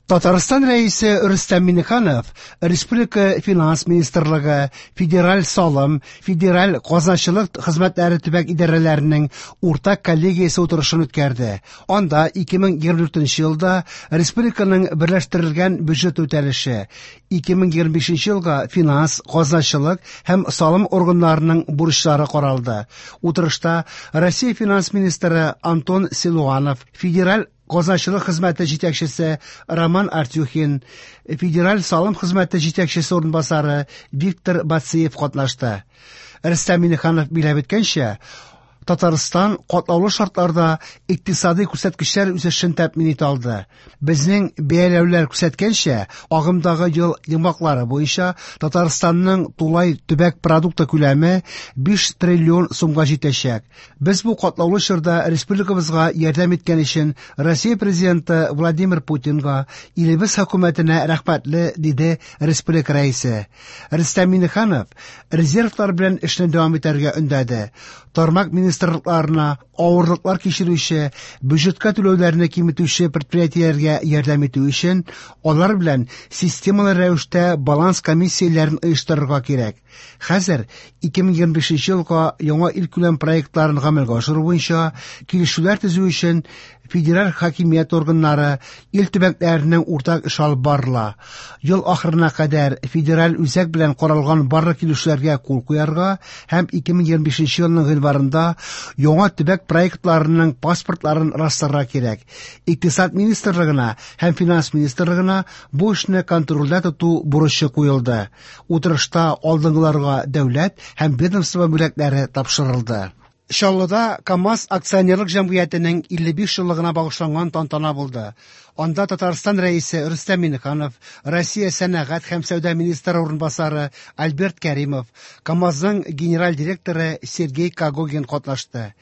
Татарстан Рәисе Рөстәм Миңнеханов республика Финанс министрлыгы, Федераль салым, Федераль казначылык хезмәтләре төбәк идарәләренең уртак коллегиясе утырышын үткәрде. Анда 2024 елда республиканың берләштерелгән бюджеты үтәлеше, 2025 елга финанс, казначылык һәм салым органнарының бурычлары каралды. Утырышта Россия финанс министры Антон Силуанов, Федераль казначылык хезмәте җитәкчесе Роман Артюхин, Федераль салым хезмәте җитәкчесе урынбасары Виктор Бациев катнашты. Рөстәм Миңнеханов билгеләп үткәнчә, Татарстан катлаулы шартларда икътисадый күрсәткечләр үсешен тәэмин итә алды. Безнең бәяләүләр күрсәткәнчә, агымдагы ел йомгаклары буенча Татарстанның тулай төбәк продукты күләме 5 триллион сумга җитәчәк. Без бу катлаулы чорда республикабызга ярдәм иткән өчен Россия Президенты Владимир Путинга, илебез хөкүмәтенә рәхмәтле, диде республика Рәисе. Рөстәм Миңнеханов резервлар белән эшне дәвам итәргә өндәде. Тармак министрлыкларына авырлыклар кичерүче, бюджетка түләүләрне киметүче предприятиеләргә ярдәм итү өчен алар белән системалы рәвештә баланс комиссияләрен оештырырга кирәк. Хәзер 2025 елга яңа илкүләм проектларын гамәлгә ашыру буенча килешүләр төзү өчен федераль хакимият органнары, ил төбәкләренең уртак эш алып барыла. Ел ахырына кадәр федераль үзәк белән каралган барлык килешүләргә кул куярга һәм 2025 елның гыйнварында яңа төбәк проектларының паспортларын расларга кирәк. Икътисад министрлыгына һәм финанс министрлыгына бу эшне контрольдә тоту бурычы куелды. Утырышта алдынгыларга дәүләт һәм ведомство бүләкләре тапшырылды. Чаллыда КАМАЗ акционерлык җәмгыятенең 55 еллыгына багышланган тантана булды. Анда Татарстан Рәисе Рөстәм Миңнеханов, Россия сәнәгать һәм сәүдә министры урынбасары Альберт Кәримов, КАМАЗның генераль директоры Сергей Когогин катнашты.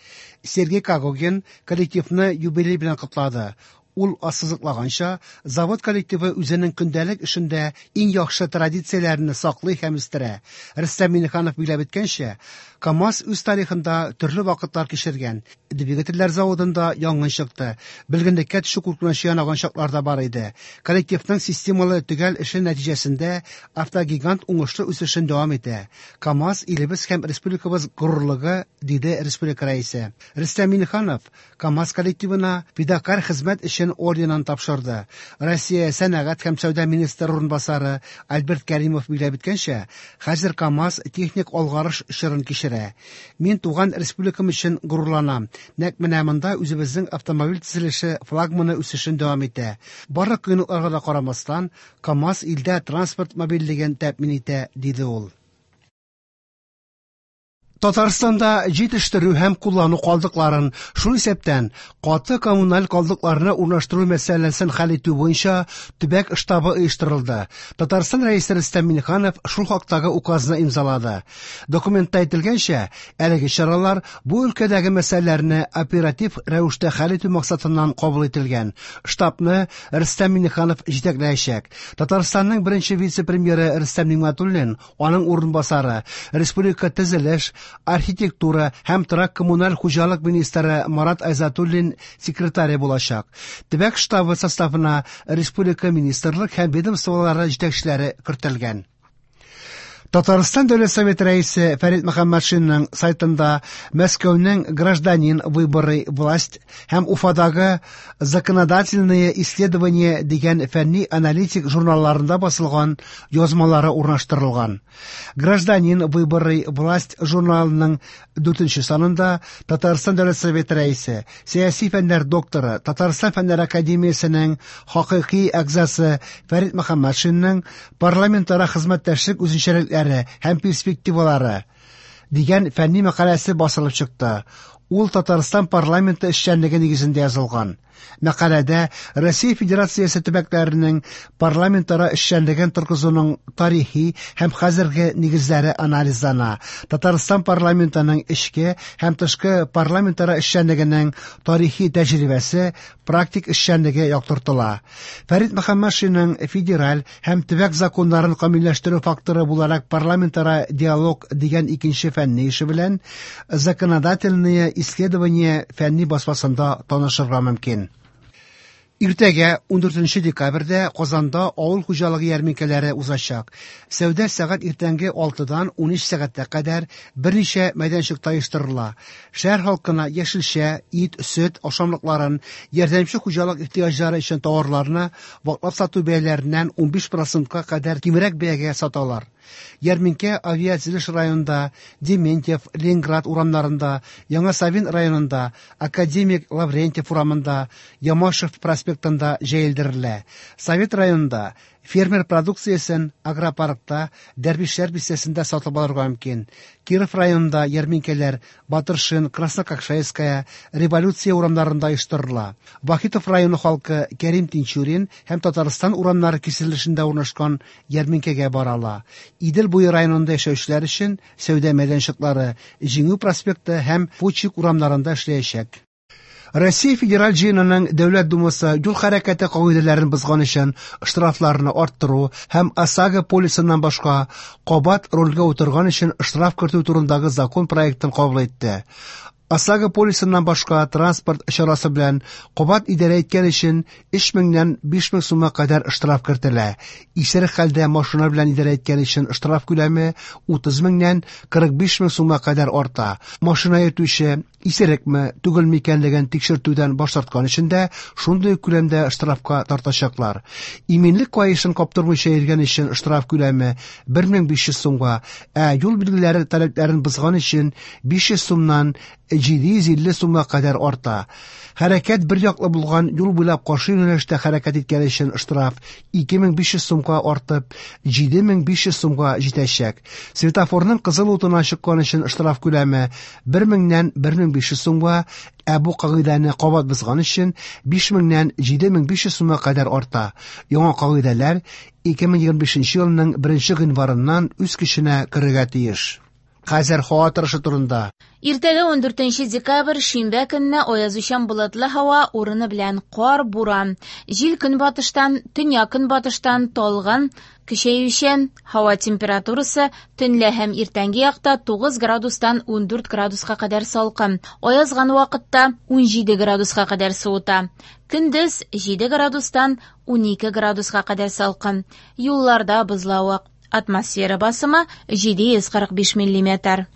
Сергей Когогин коллективны юбилей белән котлады. Ул ассызыклаганча, завод коллективы үзенең көндәлек эшендә иң яхшы традицияләрне саклый һәм үстерә. Рөстәм Миңнеханов билгеләп үткәнчә, КАМАЗ үз тарихында төрле вакытлар кичергән. Двигательләр заводында янгын чыкты. Бөлгенлеккә төшү куркынычы янаган чаклар да бар иде. Коллективның системалы төгәл эше нәтиҗәсендә автогигант уңышлы үсешен дәвам итә. КАМАЗ илебез һәм республикабыз горурлыгы, диде республика рәисе. Рөстәм Миңнеханов КАМАЗ коллективына фидакарь хезмәт өчен орденын тапшырды. Россия сәнәгать һәм сәүдә министры урынбасары Альберт Кәримов билгеләп үткәнчә, хәзер КАМАЗ техник алгарыш чорын кичерә. Мин туган республикам өчен горурланам. Нәкъ менә монда үзебезнең автомобиль төзелеше флагманы үсешен дәвам итә. Барлык кыенлыкларга да карамастан, КАМАЗ илдә транспорт мобильлеген тәэмин итә, диде ул. Татарстанда җитештерү һәм куллану калдыкларын, шул исәптән каты коммуналь калдыкларны урнаштыру мәсьәләсен хәл итү буенча төбәк штабы оештырылды. Татарстан Рәисе Рөстәм Миңнеханов шул хактагы указны имзалады. Документта әйтелгәнчә, әлеге чаралар бу өлкәдәге мәсьәләләрне оператив рәвештә хәл итү максатыннан кабул ителгән. Штабны Рөстәм Миңнеханов җитәкләячәк. Татарстанның беренче вице-премьеры Рөстәм Нигъмәтуллин, аның урынбасары, республика төзелеш, архитектура һәм торак коммуналь хуҗалык министры Марат Айзатуллин секретаре булачак. Төбәк штабы составына республика министрлык һәм ведомстволары җитәкчеләре кертелгән. Татарстан Дәүләт Советы рәисе Фәрит Мөхәммәтшинның сайтында Мәскәүнең Гражданин выборы власть һәм Уфадагы Законодательные исследования дигән фәнни аналитик журналларында басылган язмалары урнаштырылган. Гражданин выборы власть журналының 4 санында Татарстан Дәүләт Советы рәисе, сәяси фәннәр докторы, Татарстан Фәннәр академиясенең хакыйкый әгъзасы Фәрит Мөхәммәтшинның парламентара хезмәттәшлек үзенчәлекләре һәм перспективалары дигән фәнни мәкаләсе басылып чыкты. Ул Татарстан парламенты эшчәнлеге нигезендә язылган. Мәкаләдә Россия Федерациясе төбәкләренең парламентара эшчәнлеген торгызуның тарихи һәм хәзерге нигезләре анализлана. Татарстан парламентының эчке һәм тышкы парламентара эшчәнлегенең тарихи тәҗрибәсе, практик эшчәнлеге яктыртыла. Фәрит Мөхәммәтшинның федераль һәм төбәк законнарын камилләштерү факторы буларак парламентара диалог дигән икенче фәнни эше белән Законодательные исследования фәнни басмасында танышырга мөмкин. Иртәгә, 14 декабрьдә, Казанда авыл хуҗалыгы ярминкәләре узачак. Сәүдә сәгать иртәнге 6-дан 13 сәгатькә кадәр берничә мәйданчыкта оештырыла. Шәһәр халкына яшелчә, ит, сөт ашамлыкларын, ярдәмче хуҗалык ихтыяҗлары өчен товарларны ваклап сату бәяләреннән 15 процентка кадәр кимрәк бәягә саталар. Ярминкә Авиатөзелеш районында, Дементьев, Ленинград урамнарында, Яңа Савин районында, Академик Лаврентьев урамында, Ямашев проспектында җәелдерелә. Совет районында фермер продукциясен агропаркта, Дәрвишләр бистәсендә сатып алырга мөмкин. Киров районында ярминкәләр Батыршин, Краснококшайская, Революция урамнарында оештырыла. Вахитов районы халкы Кәрим Тинчурин һәм Татарстан урамнары киселешендә урнашкан ярминкәгә бара ала. Идел буе районында яшәүчеләр өчен сәүдә мәйданчыклары Җиңү проспекты һәм Фучик урамнарында эшләячәк. Россия Федераль Җыенының Дәүләт Думасы юл хәрәкәте кагыйдәләрен бозган өчен штрафларны арттыру һәм ОСАГО полисыннан башка кабат рульгә утырган өчен штраф кертү турындагы закон проектын кабул итте. ОСАГО полисыннан башка транспорт чарасы белән кабат идарә иткән өчен 3 меңнән 5 мең сумга кадәр штраф кертелә. Исерек хәлдә машина белән идарә иткән өчен штраф күләме 30 меңнән 45 мең сумга кадәр арта. Машина йөртүче исерекме, түгелме икәнлеген тикшертүдән баш тарткан өчен дә шундый ук күләмдә штрафка тартачаклар. Иминлек каешын каптырмыйча йөргән өчен штраф күләме 1500 сумга, ә юл билгеләре таләпләрен бозган өчен 500 сумнан 750 сумга кадәр арта. Хәрәкәт бер яклы булган юл буйлап каршы юнәлештә хәрәкәт иткән өчен штраф 2500 сумга артып, 7500 сумга җитәчәк. Светофорның кызыл утына чыккан өчен штраф күләме 1000-нән 1500 сумга, ә бу кагыйдәне кабат бозган өчен 5000-нән 7500 сумга кадәр арта. Яңа кагыйдәләр 2025 елның 1 гыйнварыннан үз көченә керергә тиеш. Хәзер һава торышы турында. Иртәгә 14 декабрь, шимбә көнне аязучан болытлы һава, урыны белән кар, буран. Җил көнбатыштан, төньяк-көнбатыштан талгын, көчәючән. Һава температурасы төнлә һәм иртәнге якта 9 градустан 14 градуска кадәр салкын. Аязган вакытта 17 градуска кадәр суыта. Көндез 7 градустан 12 градуска кадәр салкын. Юлларда бозлавык. Атмосфера басымы 745 миллиметр.